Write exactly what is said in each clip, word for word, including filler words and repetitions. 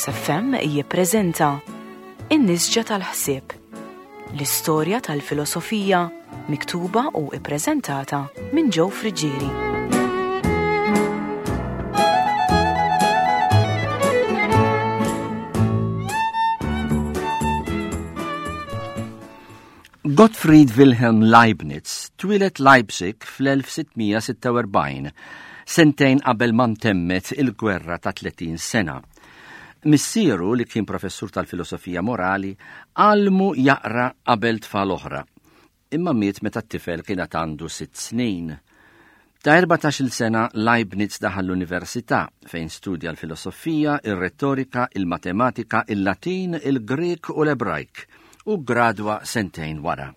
Logos F M jippreżenta In-Nisġa tal-Ħsieb, l-istorja tal-filosofija miktuba u ippreżentata minn Joe Friggieri. Gottfried Wilhelm Leibniz twieled Leipzig fl-elf sitt mija sitta u erbgħin, sentejn qabel ma ntemmet il-gwerra ta' tletin sena. Missieru, li kien professur tal-filosofija morali, għallmu jaqra qabel tfal oħra. Imma miet meta t-tifel kien għandu sitt snin. Ta' erbatax-il sena Leibniz daħal l-università, fejn studja l-filosofija, il-retorika, il-matematika, il-Latin, il-Grek u l-Ebrajk u gradwa sentejn wara.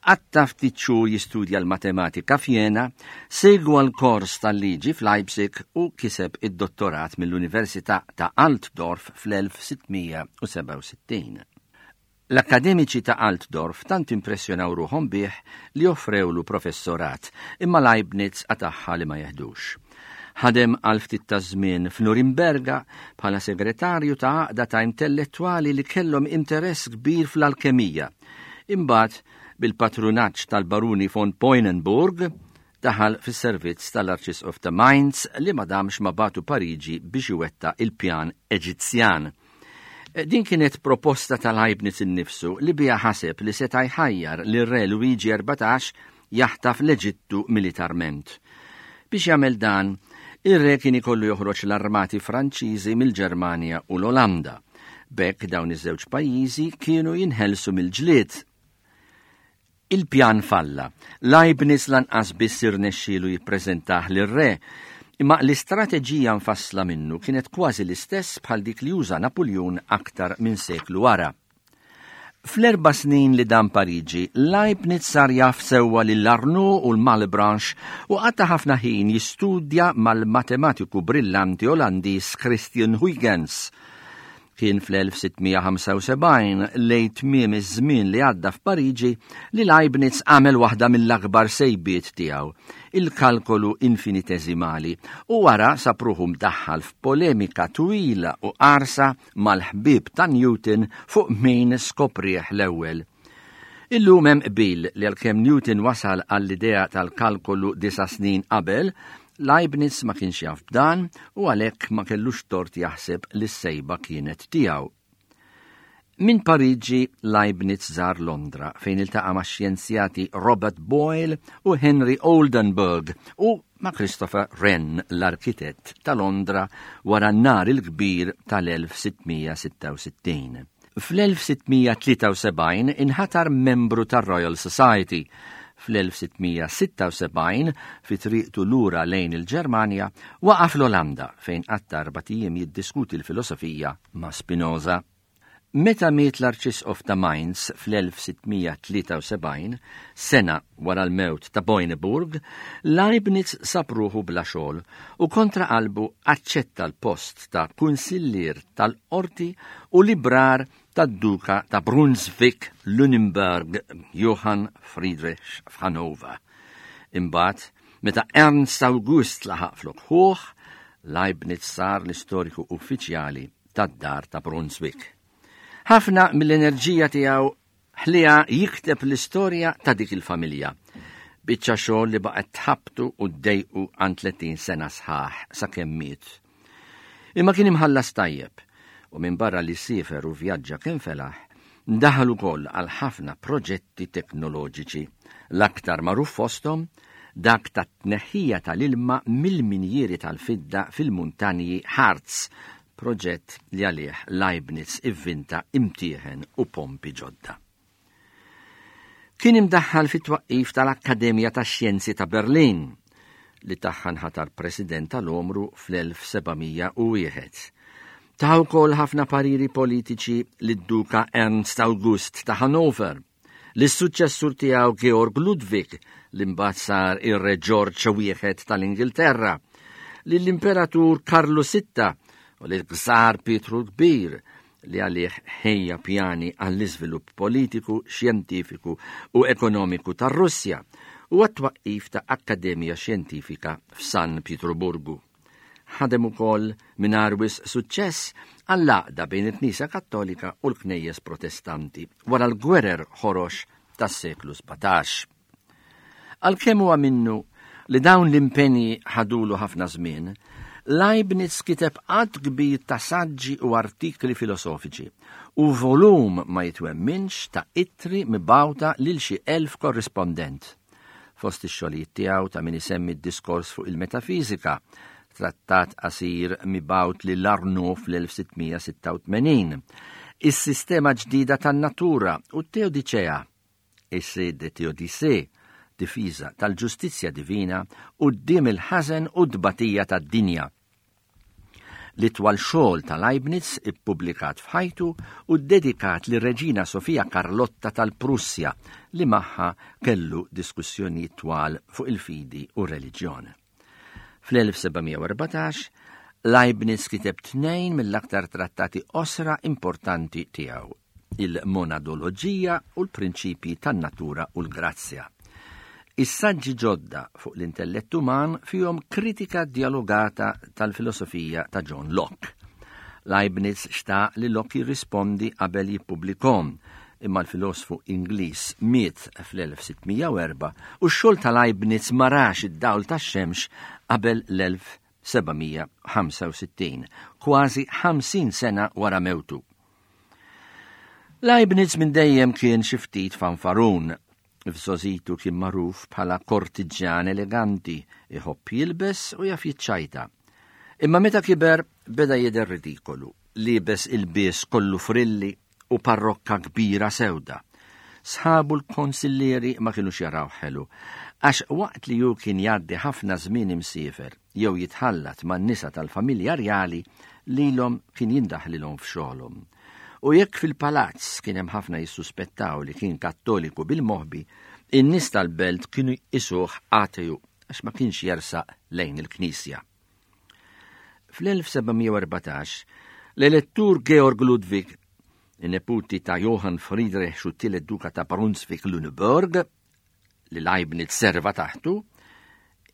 Qatta' ftit xhur jistudja l-matematika f'Jena, segwa l-kors tal-liġi f'Leipzig u kiseb id-dottorat mill-Università ta' Altdorf fl-elf sitt mija sebgħa u sittin. L-akademiċi ta' Altdorf tant impressjonaw ruħhom bih li offrewlu professorat, imma Leibniz qatagħha li ma jeħdux. Ħadem għal ftit ta' żmien f'Nurimberga bħala segretarju ta' għaqda ta' intellettwali li kellhom interess kbir fl-alkemija. Imbagħad, bil-patrunaġġ tal-baruni von Poinenburg, daħal fis-servizz tal-Arċisqof ta' Mainz, li ma damx ma bagħtu Pariġi biex iwettaq il-pjan Eġizzjan. Din kienet proposta ta' Leibniz innifsu li bija ħaseb li seta' jħajjar li re Luigi erbatax jaħtaf l-Eġittu militarment. Biex jagħmel dan, ir-re kien ikollu joħroġ l-armati Franċiżi mill-Ġermanja u l-Olanda. B'hekk dawn iż-żewġ pajjiżi kienu jinħelsu mill-ġlied. Il-pjan falla. Leibniz lanqas biss irnexxielu jippreżentah lir-re, imma l-istrateġija mfassla minnu kienet kważi l-istess bħal dik li uża Napoleon aktar minn seklu wara. Fl-erba' snin li dam Pariġi, Leibniz sar jaf sewwa lil Arnaud u l-Malebranche u qatta' ħafna ħin jistudja mal-matematiku brillanti Olandiż Christian Huygens. Kien fl-elf sitt mija ħamsa u sebgħin, lejn tmiem iż-żmien li għadda f'Pariġi, li Leibniz għamel waħda mill-akbar sejbiet tiegħu, il-kalkolu infinitesimali, u wara sab ruħu mdaħħal f'polemika twila u qarsa mal-ħbib ta' Newton fuq min skoprieh l-ewwel. Illum hemm qbil li għalkemm Newton wasal għall-idea tal-kalkolu disa' snin qabel, Leibniz ma kienx jaf b'dan u għalhekk ma kellux tort jaħseb li s-sejba kienet tiegħu. Min Pariġi Leibniz żar Londra, fejn iltaqa' ma' xjenzjati Robert Boyle u Henry Oldenburg u ma' Christopher Wren, l-arkitett ta' Londra wara n-nar il-kbir tal-elf sitt mija sitta u sittin. Fl-elf sitt mija tlieta u sebgħin inħatar membru tar-Royal Society. Fl-elf sitt mija sitta u sebgħin, fi triqtu lura lejn il-Ġermanja, waqaf l-Olanda, fejn qatta' erbat ijiem jiddiskuti l-filosofija ma' Spinoza. Meta miet l-Arċisqof ta' Mainz fl-elf sitt mija tlieta u sebgħin, sena wara l-mewt ta' Boineburg, Leibniz sab ruħu bla xogħol u kontra qalbu aċċetta l-post ta' kunsillier tal-qorti u librar tad-duka ta' Brunswick Lunenburg Johann Friedrich f'Hannover. Imbagħad, meta Ernst August laħaq flok ħuh, Leibniz sar l-istoriku uffiċjali tad-dar ta' Brunswick. Ħafna mill-enerġija tiegħu ħlieha jikteb l-istorja ta' dik il-familja. Biċċa xogħol li baqgħet tħabbtu u ddejqu għal tletin sena sħaħ sakemm miet. Imma kien imħallas tajjeb u minn barra li siefer u vjaġġa kemm felaħ, daħal ukoll għal ħafna proġetti teknoloġiċi. L-aktar magħruf fosthom dak ta' tneħħija tal-ilma mill-minjieri tal-fidda fil-muntanji Harz, proġett li għalih Leibniz ivvinta imtieħen u pompi ġodda. Kien imdaħħal fit-twaqqif tal-Akkademja tax-Xjenzi ta' Berlin, li tagħha nħatar president tal-omru fl-elf seba' mija u wieħed. Ta wkoll ħafna pariri politiċi lid-duka Ernst August ta' Hannover, lis-suċċessur tiegħu Georg Ludwig, li mbagħad sar ir-Re George wieħed tal-Ingilterra, lill-Imperatur Karlu Sitta u lil-Gżar Pietru l-Kbir, li għalih ħejja pjani għall-iżvilupp politiku, xjentifiku u ekonomiku tar-Russja u għat-twaqqif ta' Akkademja Xjentifika f'San Pietruburgu. Ħadem ukoll mingħajr wisq suċċess għall-għaqda bejn il-Knisja Kattolika u l-Knejjes Protestanti wara l-gwerer ħorox tas-seklu sbatax. Għalkemm huwa minnu li dawn l-impenji ħadulu ħafna żmien, Leibniz kiteb għadd kbir ta' saġġi u artikli filosofiċi u volum ma jitwemminx ta' ittri mibgħuta lil xi elf korrispondent. Fost ix-xogħlijiet tiegħu ta' min isemmi d-diskors fuq il-metafiżika, trattat qasir mibgħut lil Arnaud fl-elf sittmija sitta u tmenin, is-sistema ġdida tan-natura u t-Teodiċea, Essai de Théodicée, difiża tal-ġustizzja divina quddiem il-ħażen u t-tbatija tad-dinja. L-itwal xogħol ta' Leibniz ippubblikat f'ħajtu u ddedikat lir-Reġina Sofija Karlotta tal-Prussja li magħha kellu diskussjonijiet twal fuq il-fidi u r-reliġjon. Fl-elf sebgħamija u erbatax, Leibniz kiteb tnejn mill-aktar trattati qosra importanti tiegħu, il-monadoloġija u l-prinċipji tan-natura u l-grazzja. Is-saġġi ġodda fuq l-intellett uman fihom kritika dialogata tal-filosofija ta' John Locke. Leibniz xtaq li Locke jirrispondi qabel jippubblikhom, imma l-filosfu Ingliż miet fl-elf sittmija u erba' u x-xogħol ta' Leibniz ma rax id-dawl tax-xemx qabel l-elf sebgħamija ħamsa u sittin, kważi ħamsin sena wara mewtu. Leibniz minn dejjem kien xi ftit fanfarun. F'żożitu kien magħruf bħala kortiġjan eleganti, iħobb jilbes u jaf jiċċajta. Imma meta kiber beda jidher ridikolu, libes il-bies kollu frilli u parrokka kbira sewda. Sħabu l-konsillieri ma kinux jaraw ħelu, għax waqt li hu kien jgħaddi ħafna żmien imsiefer jew jitħallat man-nisa tal-familja rjali, lilhom kien jindaħlilhom f'xogħolhom. U jekk fil-palazz kien hemm ħafna jissuspettaw li kien kattoliku bil-moħbi, in-nies tal-belt kienu jqisuh ateju għax ma kienx jersaq lejn il-knisja. Fl-elf sebgħamija u erbatax, l-elettur Georg Ludwig, in-neputi ta' Johann Friedrich u t-tielet duka ta' Brunswick-Lüneburg, li Leibniz serva taħtu,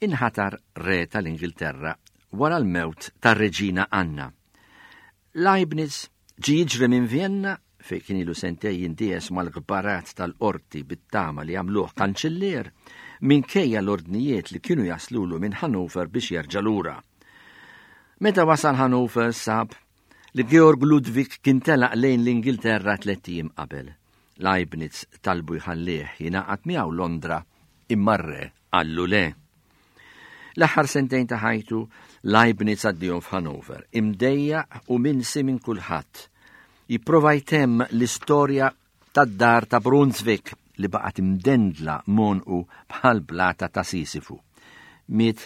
inħatar re tal-Ingilterra wara l-mewt tar-reġina Anna. Leibniz ġie jiġri minn Vienna, fejn kien ilu sentej jindies mal-gbarat tal-qorti bit-tama li jagħmluh kanċillier, minkejja l-ordnijiet li kienu jaslulu minn Hannover biex jerġa' lura. Meta wasal Hannover sab li Georg Ludwig kien telaq lejn l-Ingilterra tliet ijiem qabel. Leibniz talbu jħallih jingħaqad miegħu Londra, imma r-re qallu le. L-aħħar sentejn ta' ħajtu Leibniz għaddihom f'Hannover, imdejjaq u minsi minn kulħadd. Jipprova jtemm l-istorja tad-dar ta' Brunswick li baqgħet imdendla monqu bħal blata ta' Sisifu. Miet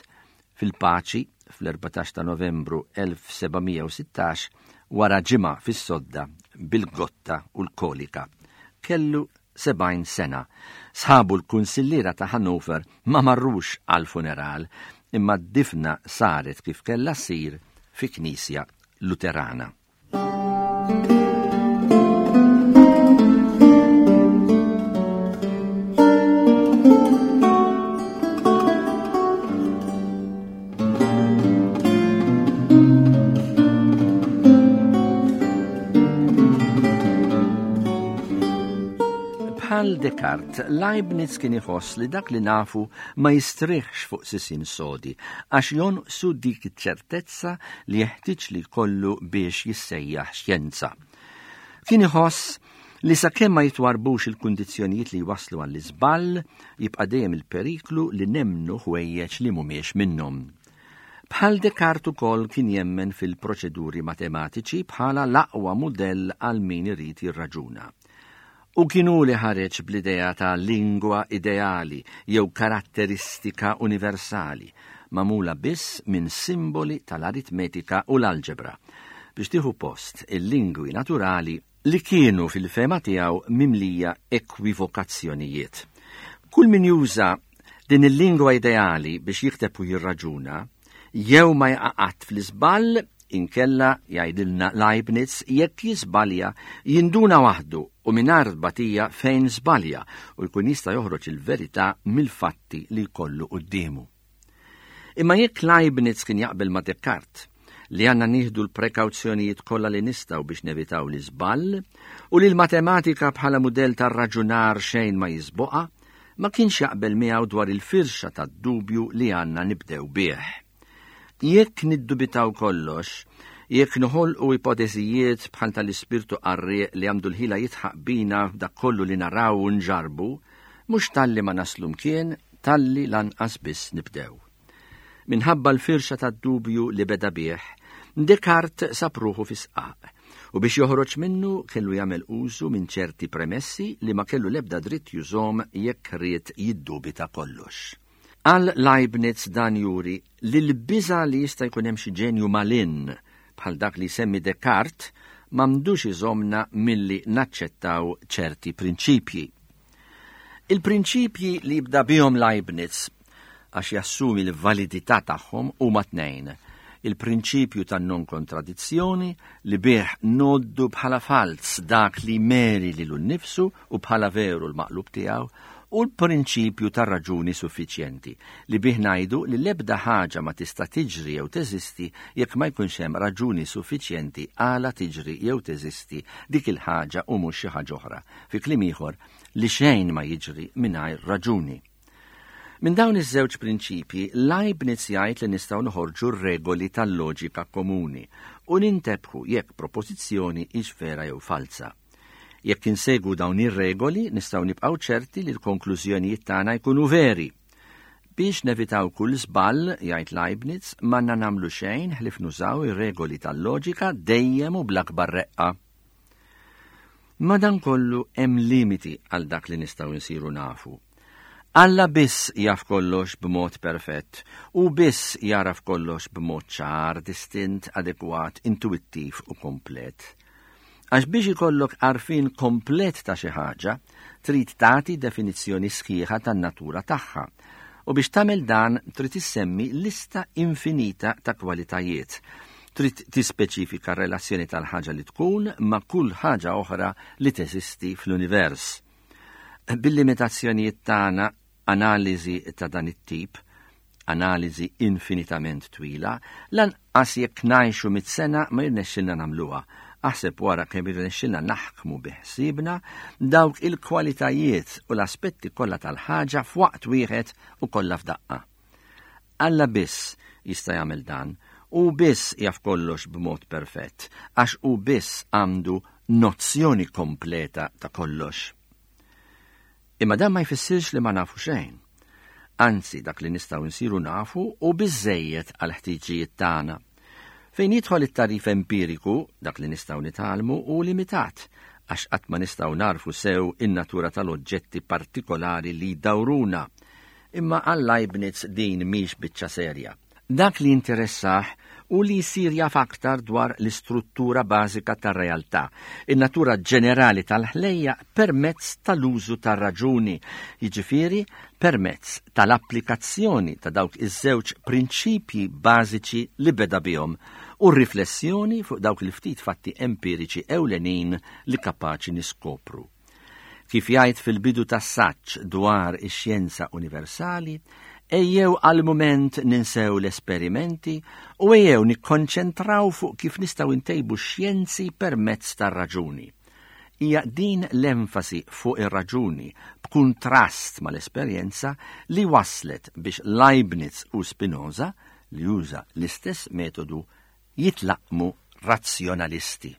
fil-paċi fl-erbatax ta' Novembru elf sebgħamija u sittax wara ġimgħa fis-sodda bil-gotta u l-kolika. Kellu sebgħin sena. Sħabu l-kunsilliera ta' Hannover ma marrux għal-funeral, imma d-difna saret kif kellha ssir fi knisja Luterana. Bħal Descartes, Leibniz kien iħoss li dak li nafu ma jistrieħx fuq sisien sodi, għax jonqsu dik iċ-ċertezza li jeħtieġ li jkollu biex jissejjaħ xjenza. Kien iħoss li sakemm ma jitwarbux il-kundizzjonijiet li jwasslu għall-iżball, jibqa' dejjem il-periklu li nemmnu ħwejjeġ li mhumiex minnhom. Bħal Descartes ukoll kien jemmen fil-proċeduri matematiċi bħala l-aqwa mudell għal min irid jirraġuna. U kienu li ħareġ bl-idea ta' lingwa ideali jew karatteristika universali, magħmula biss minn simboli tal-aritmetika u l-alġebra, biex tieħu post il-lingwi naturali li kienu fil-fehma tiegħu mimlija ekwivokazzjonijiet. Kull min juża din il-lingwa ideali biex jikteb u jirraġuna, jew ma jaqa' qatt fl-iżball, inkella jgħidilna Leibniz jekk jiżbalja jinduna waħdu u mingħajr tbatija fejn żbalja u jkun jista' joħroġ il-verità mill-fatti li jkollu quddiemu. Imma jekk Leibniz kien jaqbel ma' Descartes li għandna nieħdu l-prekawzjonijiet kollha li nistgħu biex nevitaw l-iżball, u li l-matematika bħala mudell tar-raġunar xejn ma jisboqha, ma kienx jaqbel miegħu dwar il-firxa tad-dubju li għandna nibdew bih. Jekk niddubitaw kollox, jekk noħolqu ipoteżijiet bħal tal-ispirtu qarrieq li għandu l-ħila jitħaq bina f'dak kollu li naraw u nġarbu, mhux talli ma naslu mkien, talli lanqas biss nibdew. Minħabba l-firxa tad-dubju li beda bih, Descartes sab ruħu fi sqaq, u biex joħroġ minnu kellu jagħmel użu minn ċerti premessi li ma kellu l-ebda dritt jużhom jekk ried jiddubita kollox. Għal Leibniz dan juri li l-biża' li jista' jkun hemm xi ġenju malinn bħal dak li semmi Descartes m'għandux iżomna milli naċċettaw ċerti prinċipji. Il-prinċipji li jibda bihom Leibniz għax jassumi l-validità tagħhom huma tnejn. Il-prinċipju tan non-kontradizzjoni li bih noddu bħala falz dak li meri lilu nnifsu u bħala veru l-maqlub tiegħu, u l-prinċipju tar-raġuni suffiċjenti li bih ngħidu li l-ebda ħaġa ma tista' tiġri jew teżisti jekk ma jkunx hemm raġuni suffiċjenti għala tiġri jew teżisti dik il-ħaġa u mhux xi ħaġa oħra. Fi kliem ieħor, li xejn ma jiġri mingħajr raġuni. Minn dawn iż-żewġ prinċipji, Leibniz jgħid li nistgħu noħorġu r-regoli tal-loġika komuni u nintebħu jekk propożizzjoni hix vera jew falsa. Jekk insegwu dawn ir-regoli, nistgħu nibqgħu ċerti li l-konklużjonijiet tagħna jkunu veri. Biex nevitaw kull żball, jgħid Leibniz, m'għandna nagħmlu xejn ħlief nużaw ir-regoli tal-loġika dejjem u bl-akbar reqqa. Madankollu hemm limiti għal dak li nistgħu nsiru nafu. Alla biss jaf kollox b'mod perfett u biss jaraf kollox b'mod ċar, distint, adekwat, intuittiv u komplet. Għax biex ikollok għarfien komplet ta' xi ħaġa, trid tagħti definizzjoni sħiħa tan-natura tagħha. U biex tagħmel dan trid issemmi lista infinita ta' kwalitajiet. Trid tispeċifika r-relazzjoni tal-ħaġa li tkun ma' kull ħaġa oħra li teżisti fl-univers. Bil-limitazzjonijiet tagħna analiżi ta' dan it-tip, analiżi infinitament twila, lanqas jekk ngħixu mitt sena ma jirnexxilna nagħmluha. Aħseb wara kemm jirnexxilna naħkmu biħsiebna dawk il-kwalitajiet u l-aspetti kollha tal-ħaġa f'waqt wieħed u kollha f'daqqa. Alla biss jista' jagħmel dan, u biss jaf kollox b'mod perfett, għax hu biss għandu nozzjoni kompleta ta' kollox. Imma dan ma jfissirx li ma nafu xejn. Anzi, dak li nistgħu nsiru nafu u biżżejjed għal ħtiġijiet tagħna. Fejn jidħol it-tarif empiriku, dak li nistgħu nitgħallmu hu limitat, għax qatt ma nistgħu narfu sew in-natura tal-oġġetti partikolari li jdawruna. Imma għal Leibniz din mhix biċċa serja. Dak li interessah u li jsir jaf aktar dwar l-istruttura bażika tar-realtà, in-natura ġenerali tal-ħlejja permezz tal-użu tar-raġuni, jiġifieri permezz tal-applikazzjoni ta' dawk iż-żewġ prinċipji bażiċi li beda bihom u r-riflessjoni fuq dawk il-ftit fatti empiriċi ewlenin li kapaċi niskopru. Kif jgħid fil-bidu tas-saġġ dwar ix-xjenza universali, ejjew għal mument ninsew l-esperimenti u ejjew nikkonċentraw fuq kif nistgħu ntejbu x-xjenzi permezz tar-raġuni. Hija din l-enfasi fuq ir-raġuni b'kuntrast mal-esperjenza li waslet biex Leibniz u Spinoza, li juża l-istess metodu, jitlaqmu razzjonalisti.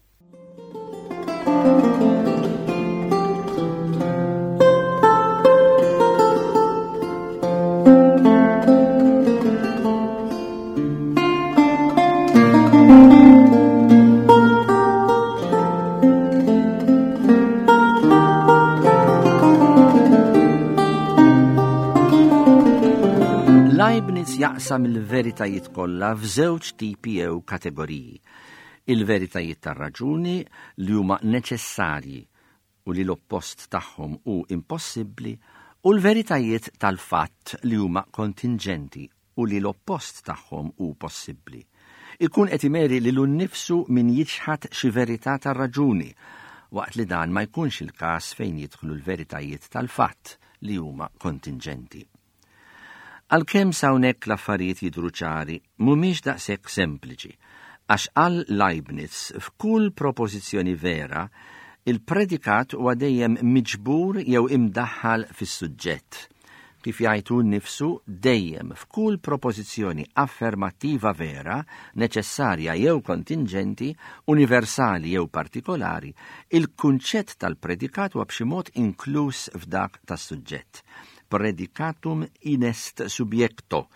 Leibniz jaqsam il-veritajiet kollha f'żewġ tipi jew kategoriji. Il-veritajiet tar-raġuni li huma neċessarji u li l-oppost tagħhom hu impossibbli, u l-veritajiet tal-fatt li huma kontingenti u li l-oppost tagħhom hu possibbli. Ikun qed imeri lilu nnifsu min jiċħad xi verità tar-raġuni, waqt li dan ma jkunx il-każ fejn jidħlu l-veritajiet tal-fatt li huma kontingenti. Għalkemm s'hawnhekk l-affarijiet jidhru ċari, mhumiex daqshekk sempliċi, Għax għal Leibniz f'kull propożizzjoni vera, il-predikat huwa dejjem miġbur jew imdaħħal fis-suġġett. Kif jgħid hu nnifsu, dejjem f'kull propożizzjoni affermattiva vera, neċessarja jew kontinġenti, universali jew partikolari, il-kunċett tal-predikat huwa b'xi mod inkluż f'dak tas-suġġett. Predicatum inest subjecto.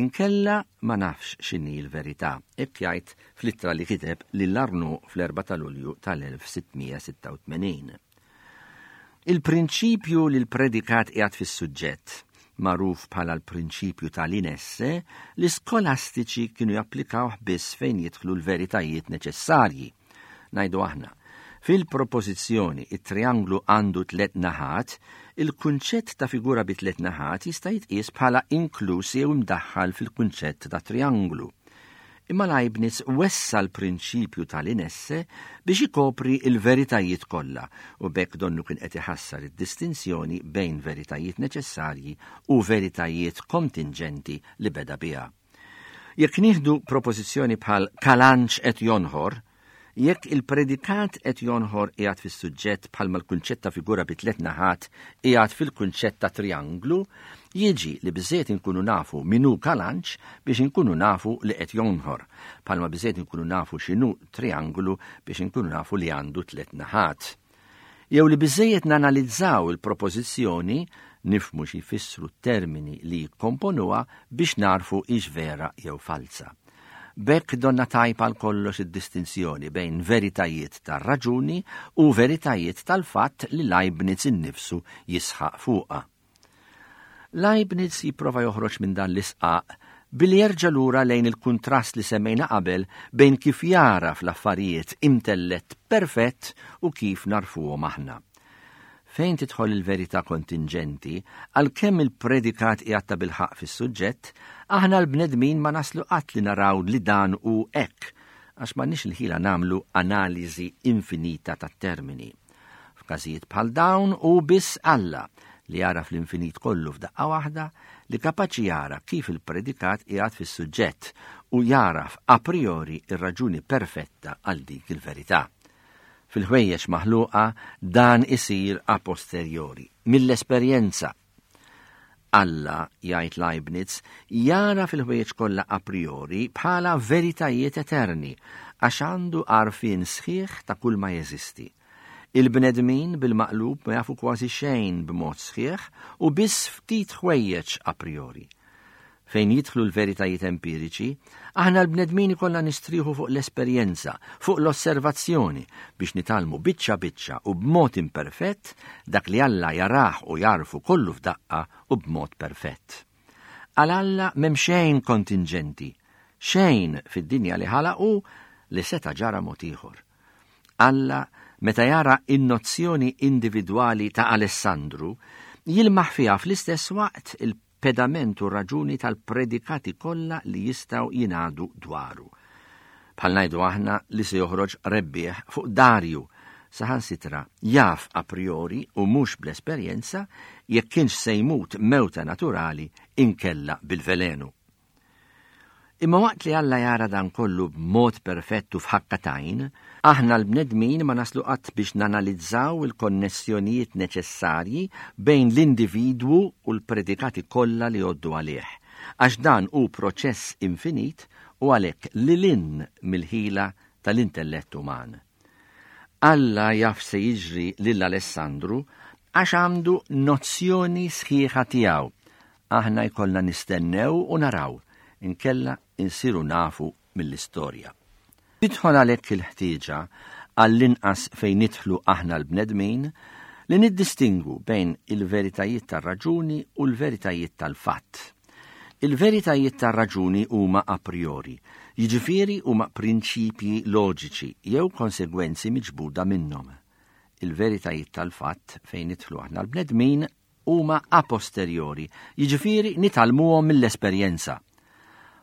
Inkella ma nafx x'inhi l-verità, hekk jgħid fl-ittra li kiteb lil Arnaud fl-erbgħa ta' Lulju tal-elf sittmija sitta u tmenin. Il-prinċipju li l-predikat qiegħed fis-suġġett, magħruf bħala l-prinċipju tal-inesse, l-iskolastiċi kienu japplikawh biss fejn jidħlu l-veritajiet neċessarji. Ngħidu aħna, fil-propożizzjoni it-trianglu għandu tliet naħat, il-kunċett ta' figura bi tliet naħat jista' jitqies bħala inkluż jew imdaħħal fil-kunċett ta' trianglu. Imma Leibniz wessa l-prinċipju tal-inesse biex ikopri il-veritajiet kollha u b'hekk donnu kien qed iħassar id-distinzjoni bejn veritajiet neċessarji u veritajiet kontingenti li beda biha. Jekk nieħdu propożizzjoni bħal Kalanċ qed jonħor, jekk il-predikat qed jonħor qiegħed fis-suġġett bħalma l-kunċett ta' figura bi tliet naħat qiegħed fil-kunċett ta' trianglu, jiġi li biżżejjed inkunu nafu min hu Kalanċ biex inkunu nafu li qed jonħor, bħalma biżżejjed inkunu nafu x'inhu trianglu biex inkunu nafu li għandu tliet naħat. Jew li biżżejjed nanalizzaw il-propożizzjoni, nifhmu xi jfissru t-termini li jikkomponuha biex narfu hix vera jew falsa. B'hekk donna tajba għal kollox id-distinzjoni bejn veritajiet tar-raġuni u veritajiet tal-fatt li Leibniz innifsu jisħaq fuqha. Leibniz jipprova joħroġ minn dan l-isqaq billi jerġa' lura lejn il-kuntrast li semmejna qabel bejn kif jara fl-affarijiet intellett perfett u kif narfuhom aħna. Fejn tidħol il-verità kontingenti, għalkemm il-predikat qiegħed ta' bilħaqq fis-suġġett, aħna l-bnedmin ma naslu qatt li naraw li dan hu hekk, għax m'għandniex il-ħila nagħmlu analiżi infinita tat-termini. F'każijiet bħal dawn hu biss Alla li jara fl-infinit kollu f'daqqa waħda li kapaċi jara kif il-predikat qiegħed fis-suġġett u jaraf a priori ir-raġuni perfetta għal dik il-verità. Fil-ħwejjeġ maħluqa dan isir a posteriori, mill-esperjenza. Alla, jgħid Leibniz, jara fil-ħwejjeġ kollha a priori bħala veritajiet eterni, għax għandu għarfien sħiħ ta' kull ma jeżisti. Il-bnedmin bil-maqlub ma jafu kważi xejn b'mod sħiħ u biss ftit ħwejjeġ a priori. Fejn jidħlu l-veritajiet empiriċi, aħna l-bnedmin ikollna nistrieħu fuq l-esperjenza, fuq l-osservazzjoni, biex nitgħallmu biċċa biċċa u b'mod imperfett dak li Alla jarah u jarfu kollu f'daqqa u b'mod perfett. Għal Alla m'hemm xejn kontingenti, xejn fid-dinja li ħalaqu li seta' ġara mod ieħor. Alla, meta jara in-nozzjoni individwali ta' Alessandru, jilmaħ fiha fl-istess waqt il pedament u raġuni tal-predikati kollha li jistgħu jingħadu dwaru. Bħal ngħidu aħna li se joħroġ rebbieħ fuq Darju, saħansitra jaf a priori u mhux bl-esperjenza jekk kienx se jmut mewta naturali inkella bil-velenu. Imma waqt li Alla jara dan kollu b'mod perfettu f'ħakka t'għajn, aħna l-bnedmin ma naslu qatt biex nanalizzaw il-konnessjonijiet neċessarji bejn l-individwu u l-predikati kollha li jgħoddu għalih, għax dan hu proċess infinit u għalhekk lil hinn mill-ħila tal-intellett uman. Alla jaf se jiġri lil Alessandru għax għandu nozzjoni sħiħa tiegħu. Aħna jkollna nistennew u naraw, inkella insiru nafu mill-istorja. Tidħol għalhekk il-ħtieġa għall-inqas fejn nidħlu aħna l-bnedmin li niddistingu bejn il-veritajiet tar-raġuni u l-veritajiet tal-fatt. Il-veritajiet tar-raġuni huma a priori, jiġifieri huma prinċipji loġiċi jew konsegwenzi miġbuda minnhom. Il-veritajiet tal-fatt fejn nidħlu aħna l-bnedmin huma a posteriori, jiġifieri nitgħallmuhom mill-esperjenza.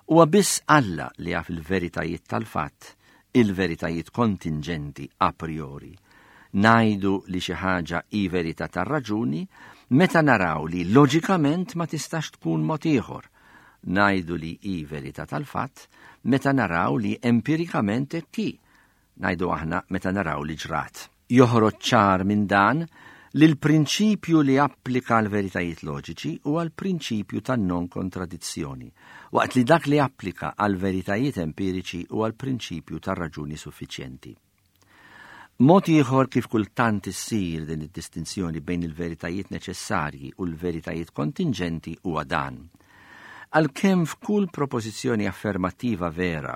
Huwa biss Alla li jaf il-veritajiet tal-fatt, il-veritajiet kontingenti a priori. Ngħidu li xi ħaġa hi verità tar-raġuni meta naraw li loġikament ma tistax tkun mod ieħor. Ngħidu li hi verità tal-fatt meta naraw li empirikament hekk hi. Ngħidu aħna meta naraw li ġrat. Joħroġ ċar minn dan li l-prinċipju li applika għal veritajiet loġiċi huwa l-prinċipju tan-non-kontradizzjoni, waqt li dak li applika għal veritajiet empiriċi huwa l-prinċipju tar-raġuni suffiċjenti. Mod ieħor kif kultant issir din id-distinzjoni bejn il-veritajiet neċessarji u l-veritajiet kontinġenti huwa dan. Għalkemm f'kull propożizzjoni affermattiva vera,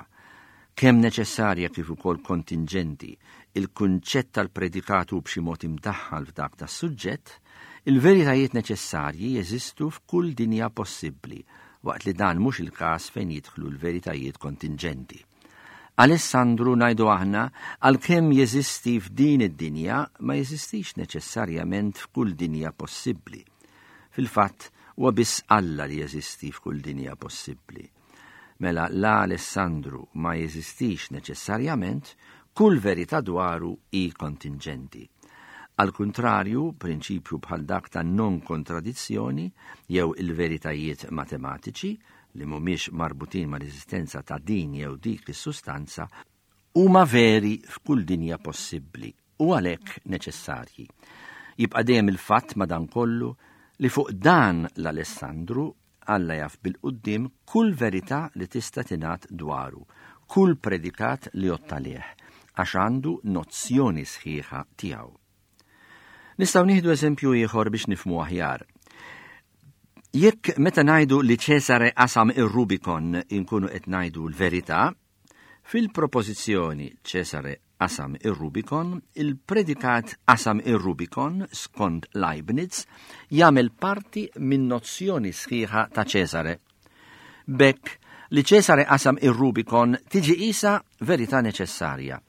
kemm neċessarja kif ukoll kontinġenti, il-kunċett tal-predikat hu b'xi mod imdaħħal f'dak tas-suġġett, il-veritajiet neċessarji jeżistu f'kull dinja possibbli, waqt li dan mhux il-każ fejn jidħlu l-veritajiet kontinġenti. Alessandru, ngħidu aħna, għalkemm jeżisti f'din id-dinja, ma jeżistix neċessarjament f'kull dinja possibbli. Fil-fatt, huwa biss Alla li jeżisti f'kull dinja possibbli. Mela la Alessandru ma jeżistix neċessarjament, kull verità dwaru hi kontinġenti. Al kuntrarju, prinċipju bħal dak ta' non-kontradizzjoni jew il-veritajiet matematiċi li mhumiex marbutin mal-eżistenza ta' din jew dik is-sustanza huma veri f'kull dinja possibbli u għalhekk neċessarji. Jibqa' dejjem il-fatt madankollu li fuq dan l-Alessandru Alla jaf bil-quddiem kull verità li tista' tingħad dwaru, kull predikat li jgħodd għalih, għax għandu nozzjoni sħiħa tiegħu. Nistgħu nieħdu eżempju ieħor biex nifhmu aħjar. Jekk meta ngħidu li Ċesare qasam ir-Rubikon inkunu qed ngħidu l-verità, fil-propożizzjoni Ċesare qasam ir-Rubikon, il-predikat qasam ir-Rubikon skont Leibniz jagħmel parti minn nozzjoni sħiħa ta' Ċesare. B'hekk li Ċesare qasam ir-Rubikon tiġi qisha verità neċessarja.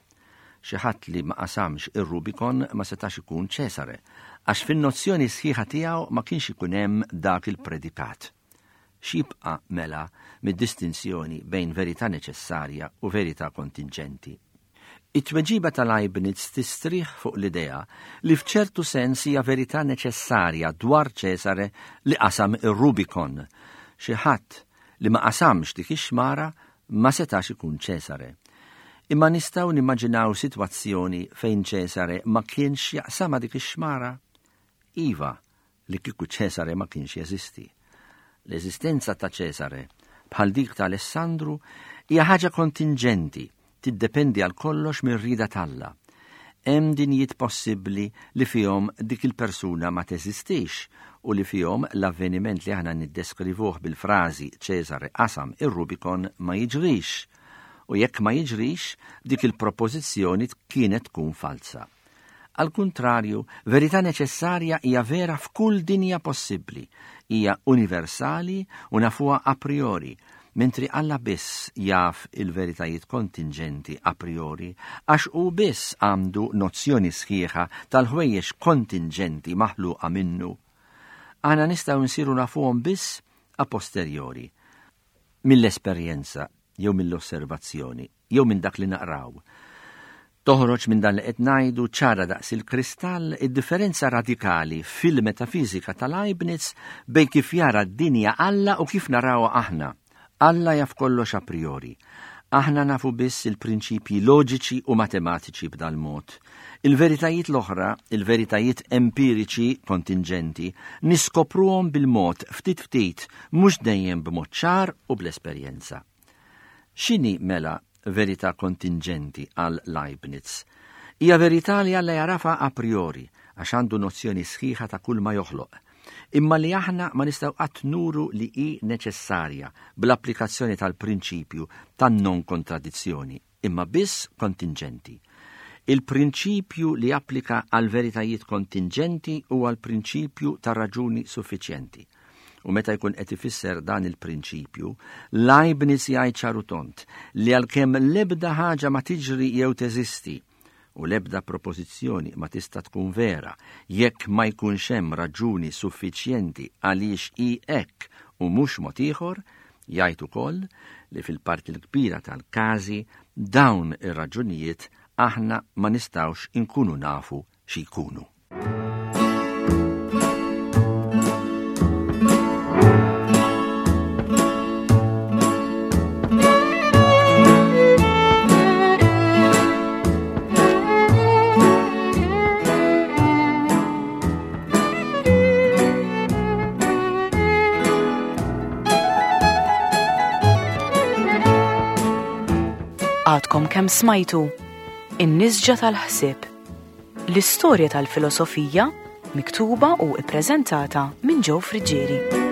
Xi ħadd li ma qasamx ir-Rubikon ma setax ikun Ċesare, għax fin-nozzjoni sħiħa tiegħu ma kienx ikun hemm dak il-predikat. X'jibqa' mela mid-distinzjoni bejn verità neċessarja u verità kontinġenti? It-tweġiba ta' Leibniz tistrieħ fuq l-idea li f'ċertu sens hija verità neċessarja dwar Ċesare li qasam ir-Rubikon. Xi ħadd li ma qasamx dik ix-xmara ma setax ikun Ċesare. Imma nistgħu nimmaġinaw sitwazzjoni fejn Ċesare ma kienx jaqsamha dik ix-xmara? Iva, li kieku Ċesare ma kienx jeżisti. L-eżistenza ta' Ċesare, bħal dik ta' Alessandru, hija ħaġa kontinġenti, tiddependi għal kollox mir-rieda t'Alla. Hemm dinjiet possibbli li fihom dik il-persuna ma teżistix u li fihom l-avveniment li aħna niddeskrivuh bil-frażi Ċesare qasam ir-Rubikon ma jiġrix. U jekk ma jiġrix, dik il-propożizzjoni kienet tkun falsa. Al kuntrarju, verità neċessarja hija vera f'kull dinja possibbli, hija universali u nafuha a priori, mentri Alla biss jaf il-veritajiet kontinġenti a priori, għax hu biss għandu nozzjoni sħiħa tal-ħwejjeġ kontinġenti maħluqa minnu. Aħna nistgħu nsiru nafuhom biss a posteriori, mill-esperjenza jew mill-osservazzjoni jew minn dak li naqraw. Toħroġ minn dan li qed ngħidu ċara daqs il-kristall id-differenza radikali fil-metafiżika ta' Leibniz bejn kif jara d-dinja Alla u kif narawha aħna. Alla jaf kollox a priori. Aħna nafu biss il-prinċipji loġiċi u matematiċi b'dal-mod. Il-veritajiet l-oħra, il-veritajiet empiriċi kontinġenti, niskopruhom bil-mod ftit ftit, mhux dejjem b'mod ċar u bl-esperjenza. X'inhi mela verità kontinġenti għal Leibniz? Hija verità li Alla jagħrafha a priori, għax għandu nozzjoni sħiħa ta' kull ma joħloq, imma li aħna ma nistgħu qatt nuru li hi neċessarja bl-applikazzjoni tal-prinċipju tan-non-kontradizzjoni, imma biss kontinġenti. Il-prinċipju li applika għal veritajiet kontinġenti huwa l-prinċipju ta' raġuni suffiċjenti. U meta jkun qed ifisser dan il-prinċipju, Leibniz jgħid ċar u tond li għalkemm l-ebda ħaġa ma tiġri jew teżisti u l-ebda propożizzjoni ma tista' tkun vera jekk ma jkunx hemm raġuni suffiċjenti għaliex hi hekk u mhux mod ieħor, jgħid ukoll li fil-parti l-kbira tal-każi dawn ir-raġunijiet aħna ma nistgħux inkunu nafu xi jkunu. Għadkom kemm smajtu In-Nisġa tal-Ħsieb. L-istorja tal-filosofija miktuba u ippreżentata minn Joe Friggieri.